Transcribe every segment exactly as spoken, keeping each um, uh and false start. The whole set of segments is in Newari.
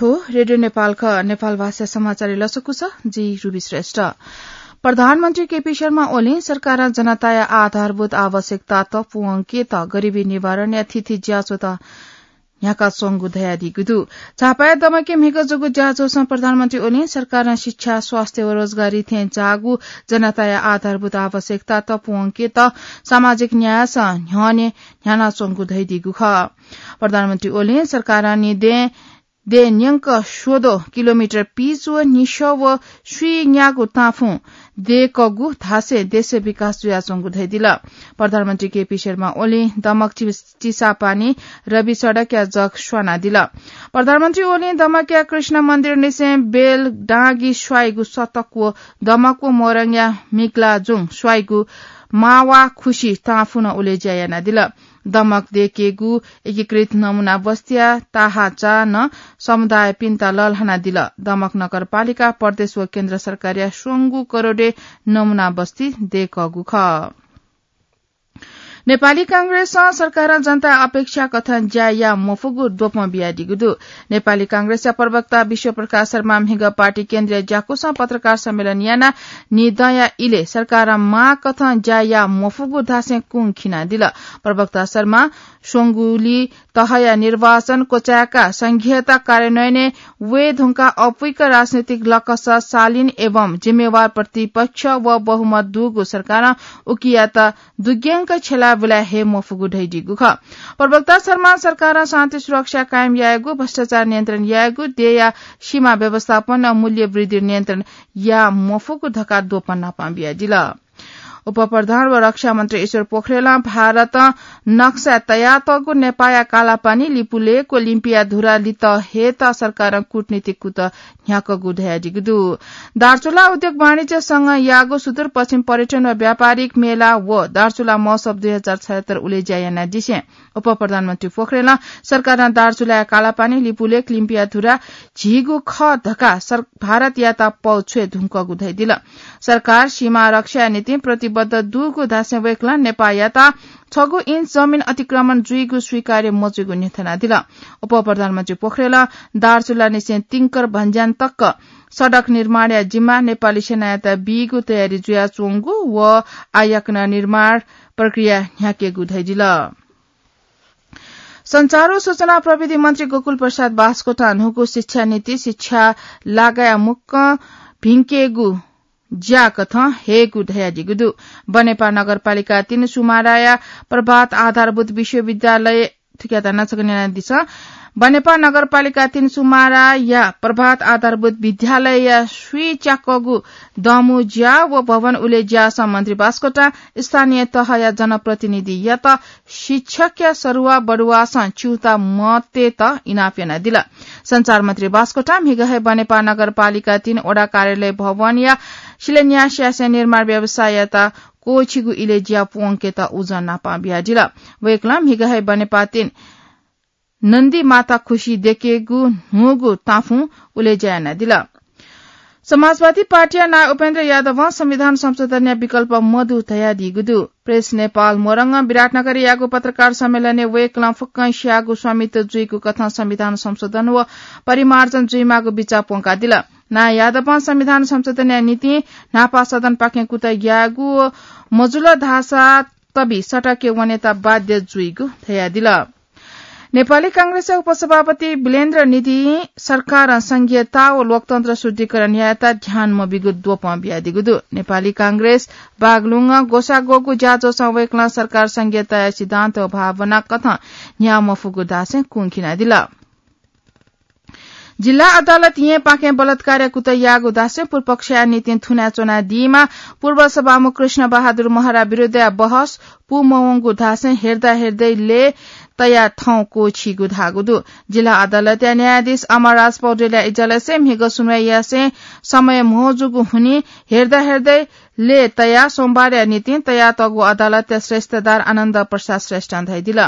रेडियो नेपाल ख, नेपाल भाषा समाचार लसकुस, जि रुबी श्रेष्ठ। प्रधानमन्त्री केपी शर्मा ओलीं सरकारं जनताया आधारभूत आवश्यकतात पूवंकेत गरिबी निवारणया थीथी ज्याझ्वः न्ह्याकाच्वंगु धयादीगु दु। झापाया दमकय् म्हिगः जूगु ज्याझ्वलं प्रधानमन्त्री ओलीं सरकारं शिक्षा, स्वास्थ्य व रोजगारी थें जाःगु जनताया आधारभूत आवश्यकतात पूवंकेत सामाजिक न्यायस न्ह्यःने न्ह्यानाच्वंगु धयादीगु खः। प्रधानमन्त्री ओलीं सरकारं निदें देय् न्यंक स्वद्वः किलोमिटर पिच व निसः व स्वीन्यागू ताँफुं दय्कूगु धासें देशय् विकास जुयाच्वंगु धयादिल। प्रधानमन्त्री केपी शर्मा ओलीं दमक चि-, चिसापानी रवि सडकया जग स्वानादिल। प्रधानमन्त्री ओलीं दमकया कृष्ण मन्दिरनिसें बेलडाँगी स्वाइगु सतक व दमक व मोरङया मिग्लाजुङ स्वाइगु मावा खुसी ताँफुं उलेज्या यानादिल। दमक दय्केगु एकीकृत नमुना बस्तीया ताहाचां समुदायपिन्त लःल्हानादिल। दमक नगरपालिकां प्रदेश व केन्द्र सरकारया स्वंगू करोडय् नमुना बस्ती दय्कूगु खः। नेपाली कांग्रेसं सरकारं जनताया अपेक्षा कथं ज्या याये मफुगु द्वपं बियादीगु दु। नेपाली कांग्रेसया प्रवक्ता विश्वप्रकाश शर्मां म्हिगः पार्टी केन्द्रीय ज्याकुसं पत्रकार सम्मेलन यानाः निदँया इलय् सरकारं माग कथं ज्या याये मफुगु धासें कुंखिनादिल। प्रवक्ता शर्मां स्वंगुलि तहया निर्वाचन क्वचाय्काः संघीयता कार्यान्वयनय् वये धुंकाः अप्वइक राजनीतिक लकस शालीन एवं जिम्मेवार प्रतिपक्ष व बहुमत दुगु सरकारं उकियात दुग्यंक छ्यला बुलाये हे मफुगु धयादीगु खः। प्रवक्ता शर्मां सरकारं शान्ति सुरक्षा कायम यायेगु, भ्रष्टाचार नियन्त्रण यायेगु, देय्या सीमा व्यवस्थापन व मूल्य वृद्धि नियन्त्रण याये मफुगु धकाः द्वपं नापं बियादिल। उपप्रधान व रक्षा मन्त्री ईश्वर पोखरेलं भारतं नक्सा तयातःगु नेपाःया कालापानी, लिपुलेक व लिम्पिया धुरा लित हयेत सरकारं कूटनीतिक कुतः न्ह्याकूगु धयादीगु दु। दार्चुला उद्योग वाणिज्य संघं याःगु सुदूरपश्चिम पर्यटन व व्यापारिक मेला व दार्चुला महोत्सव दुई हजार छयहत्तर उलेज्या यानादिसें उपप्रधानमन्त्री पोखरेलं सरकारं दार्चुलाया कालापानी, लिपुलेक, लिम्पिया धुरा झीगु खः धकाः सर-, भारतयात पौ छ्वये धुंकूगु धयादिल। सरकार सीमा रक्षाया निंतिं प्रतिबद्ध दुगु धासें वय्कलं नेपाःयात छगू इन्च जमिन अतिक्रमण जुइगु स्वीकार्य मजूगु न्ह्यथनादिल। उपप्रधानमन्त्री पोखरेलं दार्चुलानिसें तिंकर भन्ज्यान तक सडक निर्माणया जिम्मा नेपाली सेनायात बीगु तयारी जुयाच्वंगु व आः याकनं निर्माण प्रक्रिया न्ह्याकेगु धयादिल। सञ्चार व सूचना प्रविधि मन्त्री गोकुल प्रसाद बास्कोटां न्हूगु शिक्षा नीति शिक्षा लागाया मुक्कं भिंकेगु ज्या कथं हयेगु धयादीगु दु। बनेपा नगरपालिका तीन सुमाराया प्रभात आधारभूत विश्वविद्यालय, थुकियात नाचक न्यनादिसँ। बनेपा नगरपालिका तीन सुमाराया प्रभात आधारभूत विद्यालयया स्वीच्याकःगु दमू ज्या व भवन उलेज्यासं मन्त्री बास्कोटां स्थानीय तहया जनप्रतिनिधियात शिक्षकया सरुवा बरुवासं च्यूता मतयेत इनाप यानादिल। सञ्चार मन्त्री बास्कोटां म्हिगः हे बनेपा नगरपालिका तीन वडा कार्यालय भवनया शिलान्यास यासें निर्माण व्यवसाययात क्वःछिगु इलय् ज्या पूवंकेत उजं नापं बियादिल। वय्कलं म्हिगः हे बनेपा तीन नन्दी माता खुसी दय्केगु न्हूगु ताँफुं उलेज्या यानादिल। समाजवादी पार्टीया नायः उपेन्द्र यादवं संविधान संशोधनया विकल्प मदु धयादीगु दु। प्रेस नेपाल मोरङं विराटनगरय् याःगु पत्रकार सम्मेलनय् वय्कलं फुक्कं स्याःगु स्वामित्व जुइगु कथं संविधान संशोधन व परिमार्जन जुइमाःगु बिचाः प्वंकादिल। नायः यादवं संविधान संशोधनया निंतिं न्हापा सदनपाखें कुतः यायेगु व मजुल धाःसा तबि सडकय् वनेत बाध्य जुइगु धयादिल। नेपाली कांग्रेसया उपसभापति वीरेन्द्र निधिं सरकारं संघीयता व लोकतन्त्र शुद्धिकरण यायेत ध्यान मबीगु द्वपं बियादीगु दु। नेपाली कांग्रेस बागलुङं ग्वसाः ग्वःगु ज्याझ्वलय् वय्कलं सरकार संघीयताया सिद्धान्त व भावना कथं न्ह्याः मफुगु धासें कुंखिनादिल। जिल्ला अदालत येँपाखें बलात्कारया कुतः याःगु धासें पूर्वपक्षया निंतिं थुनाच्वना दीम्ह पूर्व सभामुख कृष्ण बहादुर महरा विरुद्धया बहस पूमवंगु धासें हेर्दा हेर्दै लय् तयाः थौं क्वःछीगु धाःगु दु। जिल्ला अदालतया न्यायाधीश अमरराज पौडेलया इजलासय् म्हिगः सुनवाई यासें समय म्हो जूगु हुनिं हेर्दा हेर्दै लय् तयाः सोमबारया निंतिं तयातःगु अदालतया श्रेष्ठदार आनन्द प्रसाद श्रेष्ठं धयादिल।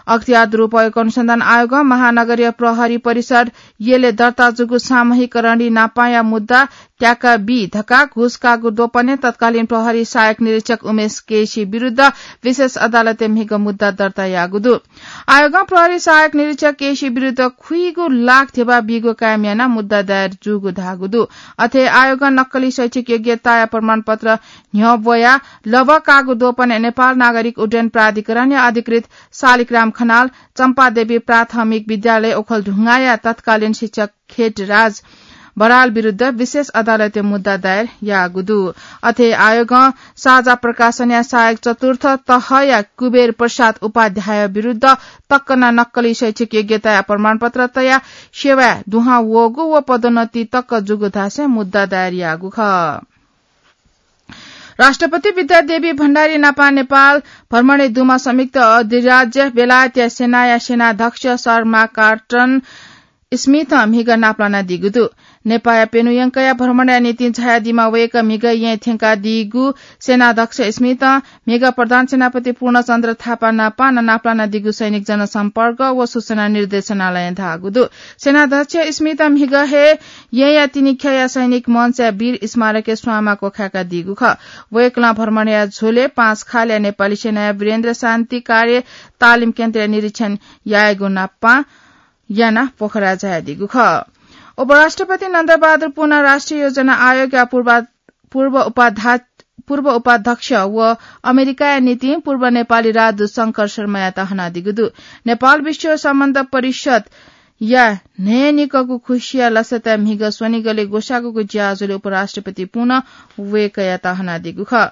अख्तियार दुरुपयोग अनुसन्धान आयोग महानगरीय प्रहरी परिषद यले दर्ता जूगु सामूहिकरण नापाया मुद्दा त्याका बी धकाः घुस काःगु द्वपनय् तत्कालीन प्रहरी सहायक निरीक्षक उमेश केसी विरुद्ध विशेष अदालतय् म्हिगः मुद्दा दर्ता याःगु दु। आयोगं प्रहरी सहायक निरीक्षक केसी विरुद्ध खुइगु लाख ध्यबा बीगु कायम यानाः मुद्दा दायर जूगु धाःगु दु। अथे आयोगं नक्कली शैक्षिक योग्यताया प्रमाणपत्र न्ह्यब्वयाः लबः काःगु द्वपनय् नेपाल नागरिक उड्डयन प्राधिकरणया अधिकृत शालिग्राम खनाल, चम्पादेवी प्राथमिक विद्यालय ओखलढुङ्गाया तत्कालीन शिक्षक खेतराज बराल विरुद्ध विशेष अदालतय् मुद्दा दायर याःगु दु। अथे आयोगं साझा प्रकाशनया सहायक चतुर्थ तहया कुबेर प्रसाद उपाध्याय विरुद्ध तकना नक्कली शैक्षिक योग्यताया प्रमाणपत्र तयाः सेवाय् दुहां वःगु व पदोन्नति तक जूगु धासें मुद्दा दायर याःगु खः। राष्ट्रपति विद्यादेवी भण्डारी नापा नेपाल भ्रमणय् दुम्ह संयुक्त अधिराज्य बेलायतया सेनाया सेनाध्यक्ष सर मार्क कार्टन स्मिथं म्हिगः नापलानादीगु दु। नेपाःया प्यन्हु यंकया भ्रमणया निंतिं झायादीम्ह वय्कः म्हिगः येँय् थ्यंकादीगु सेनाध्यक्ष स्मिथं म्हिगः प्रधान सेनापति पूर्णचन्द्र थापा नापा नापलानादीगु सैनिक जनसम्पर्क व सूचना निर्देशनालयं धाःगु दु। सेनाध्यक्ष स्मिथं म्हिगः हे येँया तिनिख्यःया सैनिक मञ्चया वीर स्मारकय् स्वांमा क्वखाय्कादीगु खः। वय्कलं भ्रमणया झ्वलय् पाँचखालया नेपाली सेनाया वीरेन्द्र शान्ति कार्य तालिम केन्द्रया निरीक्षण यायेगु नापं यानाः पोखरा झायादीगु खः। उपराष्ट्रपति नन्दबहादुर पुन राष्ट्रिय योजना आयोगया पूर्वा-, पूर्व उपाध्या-, पूर्व उपाध्यक्ष व अमेरिकाया निंतिं पूर्व नेपाली राजदूत शंकर शर्मायात हनादीगु दु। नेपाल विश्व सम्बन्ध परिषदया न्हय्निकःगु खुसिया लसताय् म्हिगः स्वनिगलय् ग्वसाःगुगु ज्याझ्वलय् उपराष्ट्रपति पुन वय्कःयात हनादीगु खः।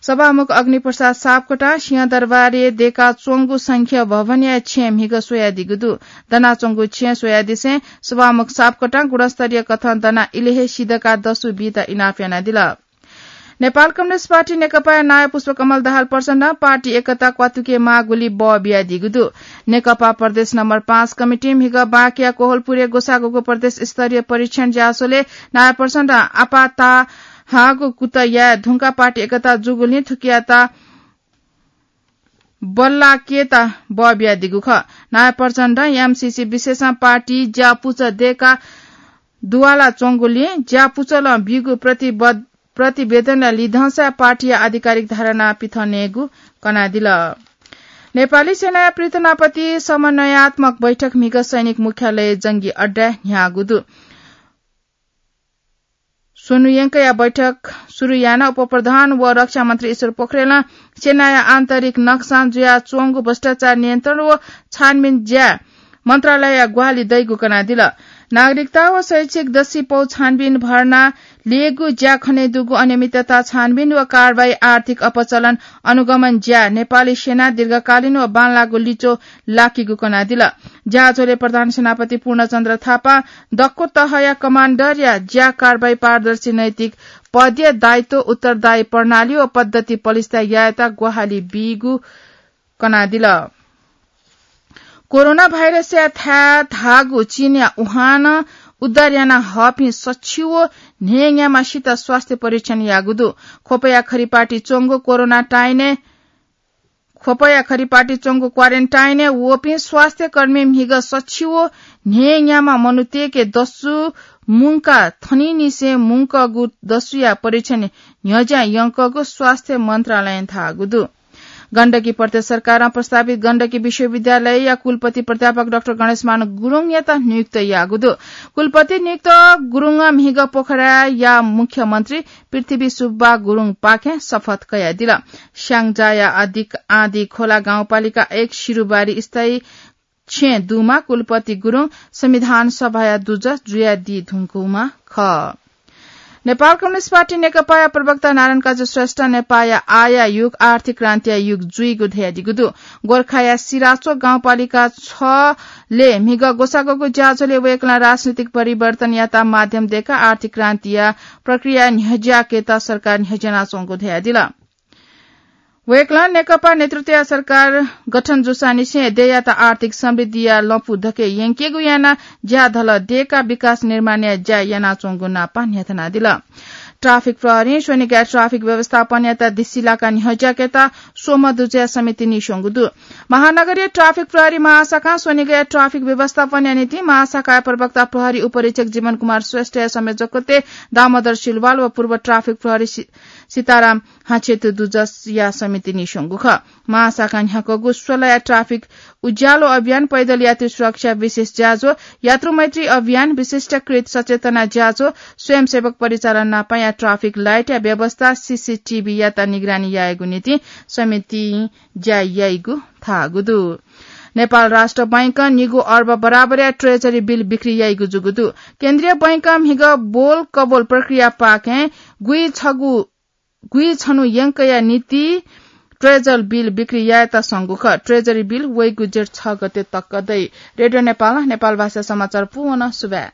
सभामुख अग्निप्रसाद सापकोटां सिंहदरबारय् दय्काच्वंगु संघीय भवनया छेँ म्हिगः स्वयादीगु दु। दनाच्वंगु छेँ स्वयादिसें सभामुख सापकोटां गुणस्तरीय कथं दनाः इलय् हे सिधकाः दसु बीत इनाप यानादिल। नेपाल कम्युनिस्ट पार्टी नेकपाया नायः पुष्पकमल दाहाल प्रचण्डं पार्टी एकता क्वातुके माःगुलिइ बः बियादीगु दु। नेकपा प्रदेश नम्बर पाँच कमिटिं म्हिगः बाँकेया कोहलपुरय् ग्वसाःगुगु प्रदेश स्तरीय परीक्षण ज्याझ्वलय् नायः प्रचण्डं आपाः ताःहाःगु कुतः याये धुंकाः पार्टी एकता जूगुलिं थुकियात बल्लाकेत बः बियादीगु खः। नायः प्रचण्डं एमसीसी विशेषं पार्टी ज्यापुचः दय्काः दुवालाच्वंगुलिं ज्यापुचलं बीगु प्रतिबद्ध-, प्रतिवेदनया लिधंसा पार्टीया आधिकारिक धारणा पिथनेगु कनादिल। नेपाली सेनाया पृथनापति समन्वयात्मक बैठक म्हिगः सैनिक मुख्यालय जंगी अड्डाय् न्ह्याःगु दु। स्वन्हु यंकया बैठक सुरु यानाः उपप्रधान व रक्षा मन्त्री ईश्वर पोखरेलं सेनाया आन्तरिक नक्सां जुयाच्वंगु भ्रष्टाचार नियन्त्रण व छानबिन ज्याय् मन्त्रालयया ग्वाहालि दइगु कनादिल। नागरिकता व शैक्षिक दसिपौ छानबिन भर्ना ल्ययेगु ज्या खनेदुगु अनियमितता छानबिन व कारवाही आर्थिक अपचलन अनुगमन ज्या नेपाली सेना दीर्घकालीन व बांलाःगु लिच्वः लाकीगु कनादिल। ज्याझ्वलय् प्रधान सेनापति पूर्णचन्द्र थापां दक्व तहया कमाण्डरया ज्या कारवाही पारदर्शी नैतिक पदया दायित्व उत्तरदायी प्रणाली व पद्धति पलिस्था यायेत ग्वाहालि बीगु कनादिल। कोरोना भाइरसया थाय् धाःगु चीनया वुहानं उद्धार याना हःपिं सछि व न्हय्‌न्याम्हसित स्वास्थ्य परीक्षण याःगु दु। ख्वपया खरिपाटी च्वंगु क्वारेन्टाइनय्, ख्वपया खरिपाटी च्वंगु क्वारेन्टाइनय् वःपिं स्वास्थ्य कर्मी म्हिगः सछि व न्हय्‌न्याम्ह मनूतय्‌के दसु मुंकाः थनिंनिसें मुंकःगु दसुया परीक्षण न्ह्यज्यां यंकःगु स्वास्थ्य मन्त्रालयं धाःगु दु। गण्डकी प्रदेश सरकारं प्रस्तावित गण्डकी विश्वविद्यालयया कुलपति प्राध्यापक डाक्टर गणेशमान गुरुङयात नियुक्त याःगु दु। कुलपति नियुक्त गुरुङं म्हिगः पोखराया मुख्यमन्त्री पृथ्वी सुब्बा गुरुङपाखें शपथ कयादिल। स्याङ्जाया आदि, आँधीखोला गाउँपालिका एक सिरुबारी स्थायी छेँ दुमा कुलपति गुरुङ संविधान सभाया दुजः जुयादी धुंकूम्ह खः। नेपाल कम्युनिस्ट पार्टी नेकपाया प्रवक्ता नारायण काजी श्रेष्ठं नेपाःया आःया युग आर्थिक क्रान्तिया युग जुइगु धयादीगु दु। गोर्खाया सिराचोक गाउँपालिका छलय् म्हिगः ग्वसाःगुगु ज्याझ्वलय् वय्‌कलं राजनैतिक परिवर्तनयात माध्यम दय्‌काः आर्थिक क्रान्तिया प्रक्रिया न्ह्यज्याकेत सरकार न्ह्यज्यानाच्वंगु धयादिल। वय्‌कलं नेकपा नेतृत्वया सरकार गठन जूसांनिसें देय्‌यात आर्थिक समृद्धिया लँपु धके यंकेगु यानाः ज्याधलः दय्‌काः विकास निर्माणया ज्या यानाच्वंगु नापं न्ह्यथनादिल। ट्राफिक प्रहरीं स्वनिगया ट्राफिक व्यवस्थापनयात दिसिलाका न्ह्यज्याकेत स्वम्ह दुजया समिति नीस्वंगु दु। महानगरीय ट्राफिक प्रहरी महाशाखां स्वनिगया ट्राफिक व्यवस्थापनया निंतिं महाशाखाया प्रवक्ता प्रहरी उपरीक्षक जीवन कुमार श्रेष्ठया संयोजकत्वय् दामोदर सिलवाल व पूर्व ट्राफिक प्रहरी सि-, सीताराम हाछेतु दुजया समिति नीस्वंगु खः। महाशाखां न्ह्याकूगु स्वलाया ट्राफिक उज्यालो अभियान, पैदल यात्री सुरक्षा विशेष ज्याझ्वः, यात्रु मैत्री अभियान, विशिष्टकृत सचेतना ज्याझ्वः, स्वयंसेवक परिचालन नापाया ट्राफिक लाइटया व्यवस्था, सीसीटीभीयात निगरानी यायेगु निंतिं समितिं ज्या याइगु धाःगु दु। नेपाल राष्ट्र बैंकं निगू अर्ब बराबरया ट्रेजरी बिल बिक्री याइगु जूगु दु। केन्द्रीय बैंकं म्हिगः बोल कबोल प्रक्रिया पाखें गुइछगू गुइछन्हु यंकया निंतिं ट्रेजरी बिल बिक्री यायेत संगु खः। ट्रेजरी बिल वइगु जेठ छ गते तक दइ। रेडियो नेपाल, नेपाल भाषा समाचार पूवन सुभाय्।